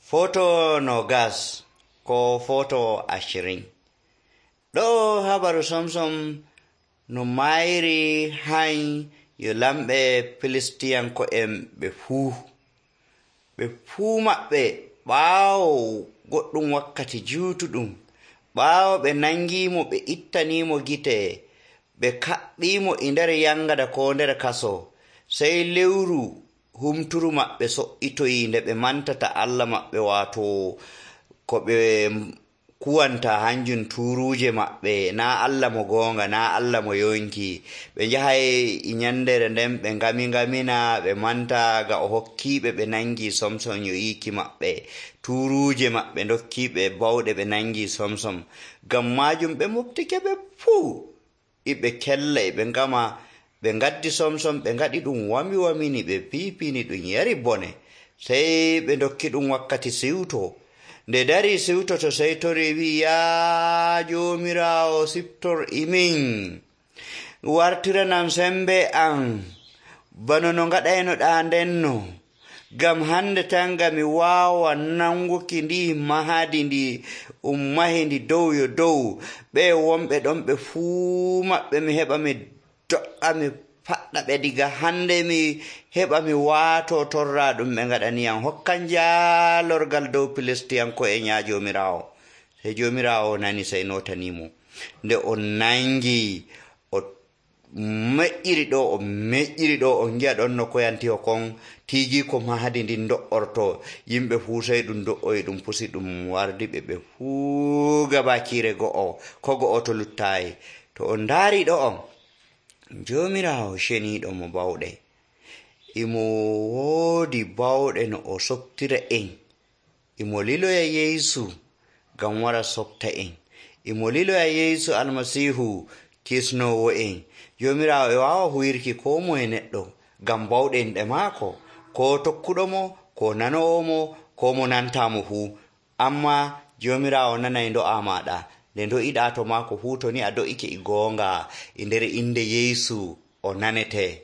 Foto no gas ko foto 20. Ɗo habaru somsom no mayri hayn yo lamɓe Filistiyanko'en ɓe fuu maɓɓe ɓaawo goɗɗum wakkati juutuɗum, ɓaawo ɓe nangimo ɓe ittanimo gite, ɓe kaɓɓimo e nder yangada ko nder kaso, sey lewru humturu maɓɓe so'itoyi nde ɓe mantata Allah maɓɓe, waato ko ɓe kuwanta hanjum turuuje maɓɓe, naa Allah mo goonga, naa Allah mo yonki. Ɓe njahay e nyandere nden ɓe ngamingamina, ɓe manta ga o hokkiiɓe ɓe nangi somsom yo yiiki maɓɓe, turuuje maɓɓe dokkiiɓe bawɗe ɓe nangi somsom. Ngam maajum ɓe moftike ɓe fuu iɓe kella e ɓe ngama, ɓe ngaddi somsom ɓe ngaɗi ɗum wami-wamini, ɓe piipini ɗum yari bone. Sey ɓe dokki ɗum wakkati siwto. Nde dari siwtoto sey tori wi, yaa Joomiraawo, siftor imin, wartiranam sembe am bano no ngaɗaynoɗaa ndenno, ngam hande tan nga mi waawa nanguki ndi mahadi ndi mahi ndi dow yo dow. Ɓe wonɓe ɗon ɓe fuu maɓɓe mi heɓa mi do'a mi faɗɗa ɓe diga hande, mi heɓa mi waato torra ɗum ɓe ngaɗaniyam. Hokkan jaalorgal dow Filistiyanko'en yaa Joomiraawo. Sey Joomiraawo nani sey notanimo. Nde o nangi o meƴƴiri ɗo on ngi'a ɗon no koyantiho kon tiigi ko mahadi ndin do'orto, yimɓe fuu sey ɗum do'oyi ɗum pusi ɗum wardi ɓe fuu gabakiire go'o, ko go'o to luttaayi. To on ndaari ɗo on, Joomiraawo ceniiɗo mo bawɗe, imo woodi bawɗe no o softira en, imo liloya Yeesu ngam wara softa en, imo liloya Yeesu Almasiihu kisnoowo en. Joomiraawo e waawa huyirki koo moye neɗɗo ngam bawɗenɗe maako, ko tokkuɗo mo, ko nanoowo mo, ko mo nantaamo fuu. Amma Joomiraawo nanay ndo'a maaɗa, nde ndo'iɗaa to maako fuu, to ni a do'ike e goonga e nder inde Yeesu o nanete.